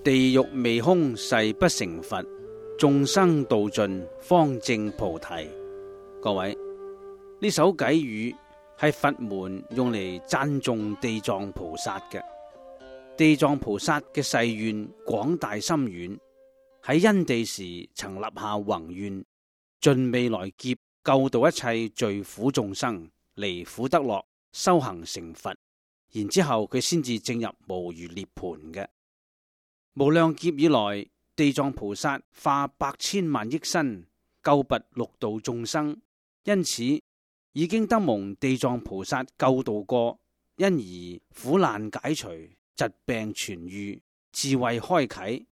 地獄未空誓不成佛，眾生度盡方證菩提。各位，呢首偈語係佛門用嚟讚頌地藏菩薩嘅。地藏菩薩嘅誓願廣大深遠，喺因地時曾立下宏願，盡未來劫救度一切罪苦眾生，離苦得樂，修行成佛，然之後佢先至證入無餘涅槃嘅。無量劫以來，地藏菩薩化百千萬億身救拔六道眾生，因此已經得蒙地藏菩薩救度過，因而苦難解除，疾病痊愈，智慧開啟，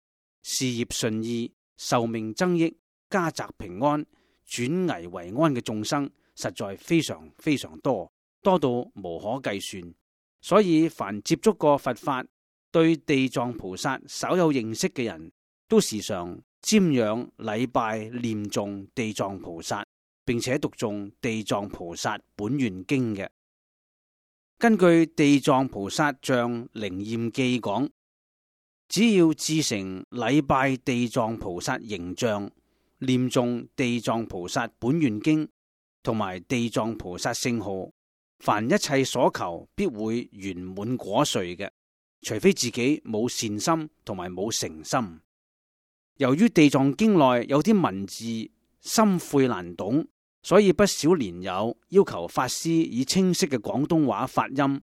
事業順意，壽命增益，家宅平安，轉危為安嘅眾生實在非常非常多，多到無可計算。所以凡接觸過佛法，對地藏菩薩稍有認識嘅人，都時常瞻仰禮拜念誦地藏菩薩，並且讀誦地藏菩薩本願經嘅。根據地藏菩薩像靈驗記講，只要至誠禮拜地藏菩薩形象，念誦地藏菩薩本願經同埋地藏菩薩聖號，凡一切所求必會圓滿果遂嘅。除非自己冇善心同埋冇誠心。由於地藏經內有啲文字深晦難懂，所以不少蓮友要求法師以清晰嘅廣東話發音，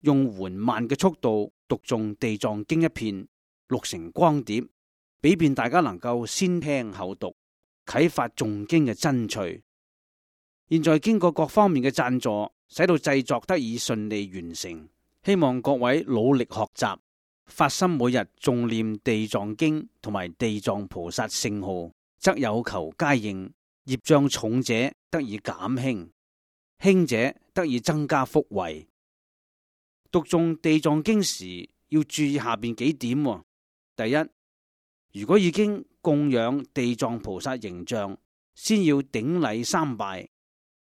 用緩慢嘅速度讀誦地藏經一遍，錄成光碟，俾便大家能夠先聽後讀，啟發誦經嘅真趣。現在經過各方面嘅贊助，使到製作得以順利完成。希望各位努力學習，發心每日誦念地藏經同埋地藏菩薩聖號，則有求皆應，業障重者得以減輕，輕者得以增加福慧。讀誦地藏經時要注意下邊幾點。第一，如果已經供養地藏菩薩形象，先要頂禮三拜；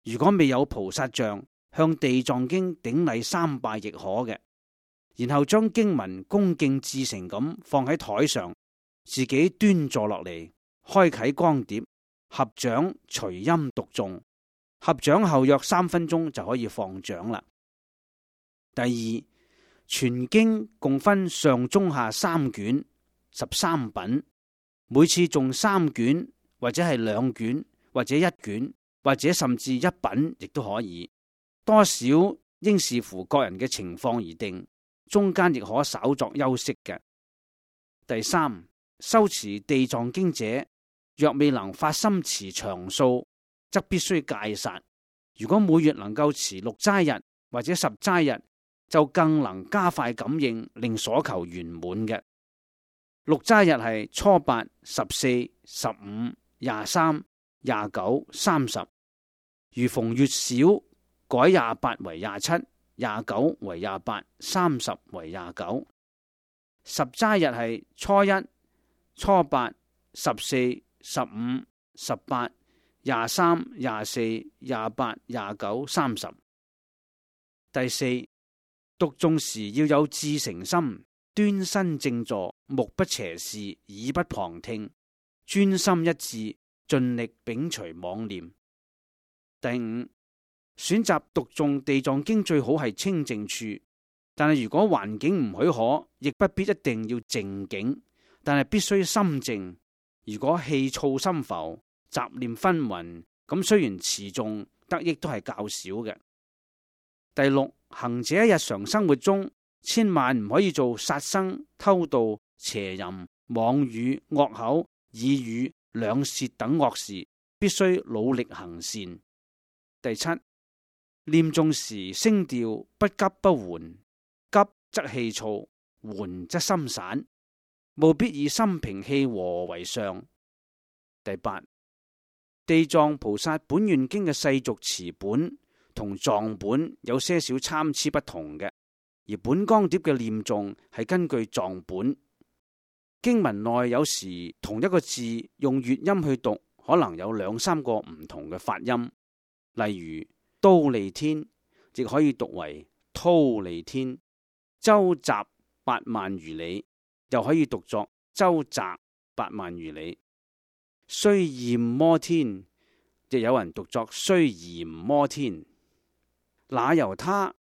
如果未有菩薩像，向地藏經頂禮三拜亦可嘅，然後將經文恭敬至誠咁放喺台上，自己端坐落嚟，開啟光碟，合掌隨音讀誦，合掌後約3分鐘就可以放掌啦。第二，全經共分上中下3卷13品，每次誦3卷或者係2卷或者1卷或者甚至1品亦都可以。多少應視乎個人嘅情況而定，中間亦可稍作休息嘅。第三，修持地藏經者，若未能發心持長數，則必須戒殺。如果每月能夠持6齋日或者10齋日，就更能加快感應，令所求圓滿嘅。6齋日係初8、14、15、23、29、30，如逢月少，改28為27、29為28、30為29。10齋日係初1、初8、14、15、18、23、24、28、29、30。第四，讀誦時要有至誠心，端身正坐，目不斜視，耳不旁聽，專心一致，盡力摒除妄念。第五，選擇讀誦地藏經最好係清靜處，但係如果環境唔許可，亦不必一定要靜境，但係必須心靜。如果氣躁心浮、雜念紛紜，咁雖然持誦得益都係較少嘅。第六，行者喺日常生活中千萬唔可以做殺生、偷盜、邪淫、妄語、惡口、耳語、兩舌等惡事，必須努力行善。第七，念誦時聲調不急不緩，急則氣躁，緩則心散，務必以心平氣和為上。第八，地藏菩薩本願經嘅世俗詞本同藏本有些少參差不同嘅，而本光碟嘅念誦係根據藏本。經文內有時同一個字用粵音去讀，可能有2、3個唔同嘅發音，例如忉利天亦可以讀為忉利天，周匝8萬餘里，又可以讀作周匝8萬餘里。須焰摩天，亦有人讀作須焰摩天。那由他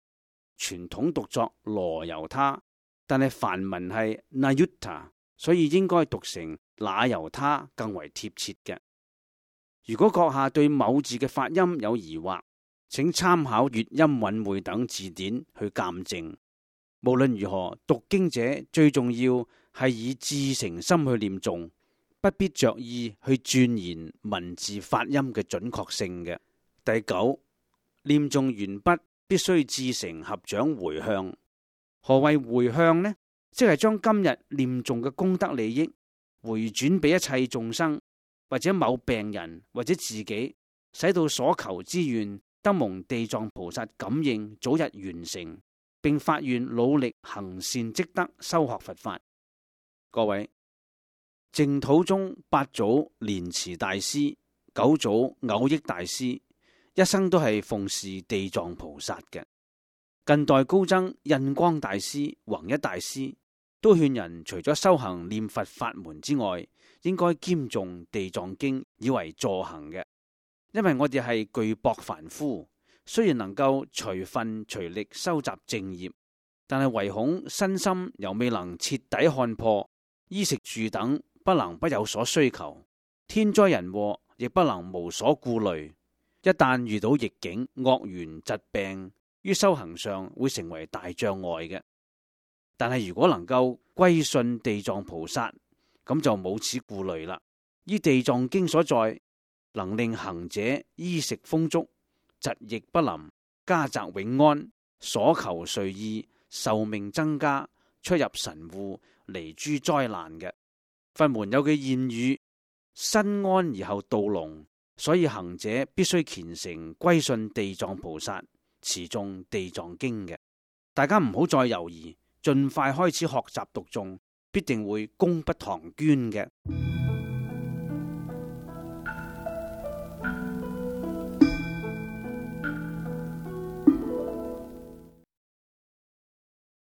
傳統讀作羅由他，但係梵文係 Nayutta， 所以應該讀成那由他更為貼切嘅。如果閣下對某字嘅發音有疑惑，請參考粵音韻會等字典去鑒證。無論如何，讀經者最重要係以至誠心去念誦，不必着意去鑽研文字發音嘅準確性嘅。第9，念誦完畢必須至誠合掌回向。何謂回向呢？即係將今日念誦嘅功德利益回轉俾一切眾生，或者某病人，或者自己，使到所求之願得蒙地藏菩薩感應，早日完成，並發願努力行善積德，修學佛法。各位，淨土中8祖蓮池大師、9祖藕益大師一生都係奉事地藏菩薩嘅。近代高僧印光大師、弘一大師都勸人除咗修行念佛法門之外，應該兼誦地藏經以為助行嘅。因為我哋係具薄凡夫，雖然能夠隨分隨力收集正業，但係唯恐身心又未能徹底看破，衣食住等不能不有所需求，天災人禍亦不能無所顧慮。一旦遇到逆境、惡緣、疾病，於修行上會成為大障礙嘅。但係如果能夠歸信地藏菩薩，咁就冇此顧慮啦。依地藏經所在，能令行者衣食豐足，疾疫不臨，家宅永安，所求遂意，壽命增加，出入神戶，離諸災難嘅。佛門有句諺語：身安而後道隆，所以行者必須虔誠歸信地藏菩薩，持誦地藏經嘅。大家唔好再猶豫，盡快開始學習讀誦，必定會功不唐捐嘅。